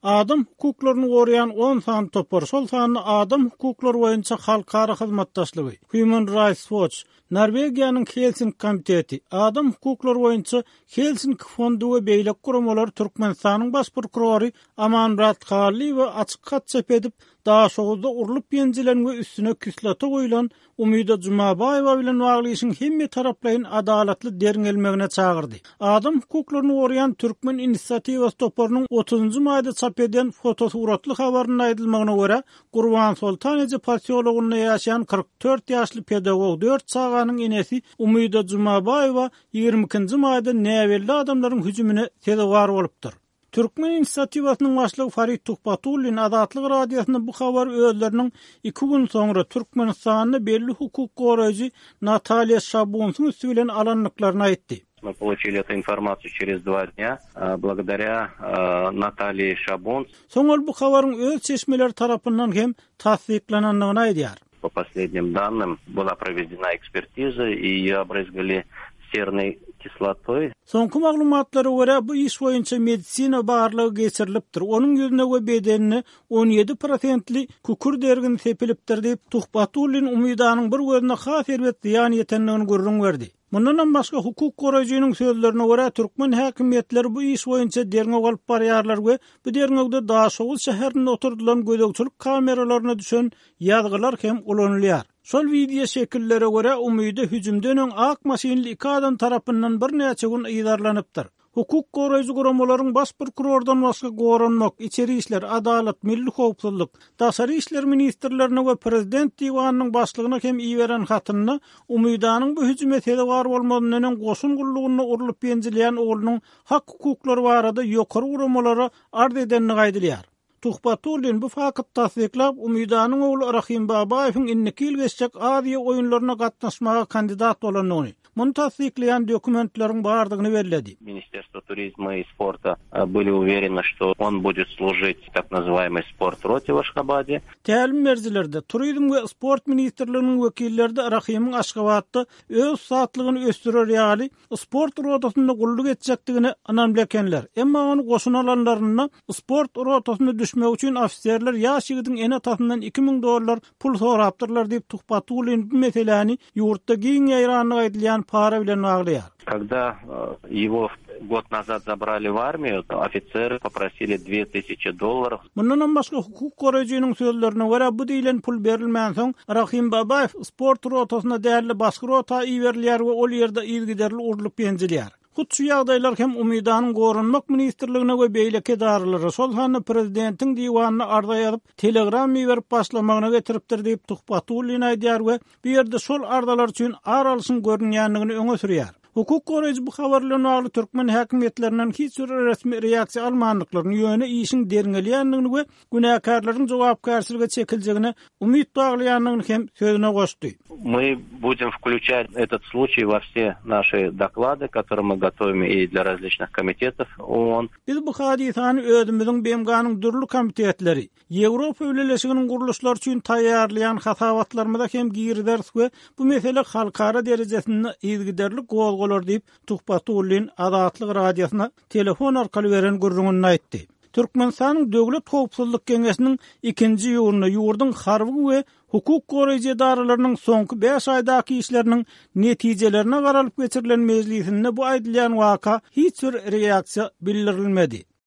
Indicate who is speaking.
Speaker 1: Adam hukuklaryny goraýan on sany topar, şol sanda Adam hukuklary boýunça halkara hyzmatdaşlygy, Human Rights Watch, Norwegiýanyň Helsinki komiteti, Adam hukuklary boýunça Helsinki fondy we beýleki guramalar Türkmenistanyň Baş prokurory Amanmyrat Hallyýewe açyk hat çap edip, Daşoguzda urlup-ýenjilen we üstüne kislota guýlan Umyda Jumabaýewa bilen bagly işiň hemmetaraplaýyn adalatly derňelmegine çagyrdy. Adam hukuklaryny goraýan Türkmen inisiatiwasy toparynyň otuzynjy maýda çap eden fotosuratly habarynda aýdylmagyna görä, Gurbansoltan eje posýologynda ýaşaýan 44 ýaşly pedagog, dört çaganyň enesi Umyda Jumabaýewa 22-nji maýda näbelli adamlaryň hüjümine sezewar bolupdyr. Türkmen inisiatiwasynyň başlygy Farid Tuhbatullin Azatlyk Radiosyna bu habary özleriniň iki gün soňra Türkmenistanda belli hukuk goraýjy Natalýa Şabunsyň üsti bilen alandyklaryny aýtdy.
Speaker 2: Мы получили эту информацию через два dня, благодаря Natalýe Şabunts.
Speaker 1: Soň ol bu habaryň öz çeşmeleri tarapyndan hem tassyklanandygyny aýdýar.
Speaker 2: Po poslednim dannym, byla provedena ekspertiza i ýeýe obrezgali sernoý kislotoý.
Speaker 1: Soňky maglumatlara görä, bu iş boýunça medisina barlagy geçirilipdir, onuň ýüzüne we bedenine 17 prosentli kükürt ergini sepilipdir diýip, Tuhbatullin Umidanyň bir gözüne has erbet zyýan ýetendigini gürrüň berdi. Mundanam başga, hukuk goraýjynyň sözlerine görä, türkmen häkimiýetleri bu iş boýunça derňew alyp barýarlar we bu derňewde Daşoguz şäherinde oturdylan gözegçilik kameralaryna düşen ýazgylar hem ulanylýar. Şol wideo şekillere görä, Umyda hüjümden öň ak maşynly iki adam tarapyndan birnäçe gün yzarlanypdyr. Hukuk goraýjy guramalaryň baş prokurordan başga Goranmak, Içeri işler, Adalat, Milli howpsuzlyk, Daşary işler ministrlerine we Prezident diwanynyň başlygyna hem iberen hatynda Umydanyň bu hüjüme sezewar bolmazyndan öň goşun gullugynda urlup-ýenjilýän oglunyň hak-hukuklary barada ýokary guramalara arz edendigi aýdylýar. Tuhbatullin bu fakty tassyklap, Umydanyň ogly Rahim Babaýewiň indiki ýyl geçjek Aziýa oýunlaryna gatnaşmaga kandidat bolandygyny, muny tassyklaýan dokumentleriň bardygyny belledi.
Speaker 2: Ministerstwo turizma i sporta byli uwereny, şto on budet služit w tak nazywaýmoý sport rote w Aşgabade.
Speaker 1: Tälim berijiler-de, Turizm we sport ministrliginiň wekilleri-de Rahymyň Aşgabatda öz ussatlygyny ösdürer ýaly sport rotasynda gulluk etjekdigine ynamly ekenler. Emma ony goşuna alanlarynda sport rotasyna düşmegi üçin ofiserler ýaş ýigidiň ene-atasyndan 2000 dollar pul sorapdyrlar diýip, Tuhbatullin bu meseläni ýurtda giň ýaýrandygy aýdylýan para bilen baglaýar.
Speaker 2: Когда его год назад забрали в армию, ofisery poprosili dwe tysячи dollarov.
Speaker 1: Mundanam başga, hukuk goraýjynyň sözlerine görä, bu diýlen pul berilmänsoň, Rahim Babaýew sport rotasyna däl-de, başga rota iberilýär we ol ýerde yzygiderli urlup-ýenjilýär. Hut şu ýagdaýlar hem Umydanyň Goranmak ministrligine we beýleki edaralara, şol sanda prezidentiň diwanyna arza ýazyp, telegram iberip başlamagyna getiripdir diýip, Tuhbatullin aýdýar we bu ýerde şol arzalar üçin ar alşyň görünýändigini öňe sürýär. Hukuk goraýjy bu habar bilen bagly türkmen häkimiýetlerinden hiç bir resmi reaksiýa almandyklaryny, ýöne işiň derňelýändigini we günäkärleriň jogapkärçilige çekiljegine umyt baglaýandygyny hem sözüne goşdy.
Speaker 2: My budem wklýuçat etot sluçiý wo wse naşi doklady, kotorye my gotowim i dlýa razliçnyh komitetow OON.
Speaker 1: Biz bu hadysany özümiziň BMG-niň dürli komitetleri, Ýewropa Bileleşiginiň gurluşlary üçin taýýarlaýan hasabatlarymyza hem girizeris we bu mesele halkara derejesinde yzygiderli gozgalar diýip, Tuhbatullin Azatlyk Radiosyna telefon arkaly beren gürrüňinde aýtdy. Türkmenistanyň Döwlet howpsuzlyk geňeşiniň ikinji iýunda ýurduň harby we hukuk goraýjy edaralarynyň soňky bäş aýdaky işleriniň netijelerine garalyp geçirilen mejlisinde bu aýdylýan waka hiç bir reaksiýa bildirilmedi.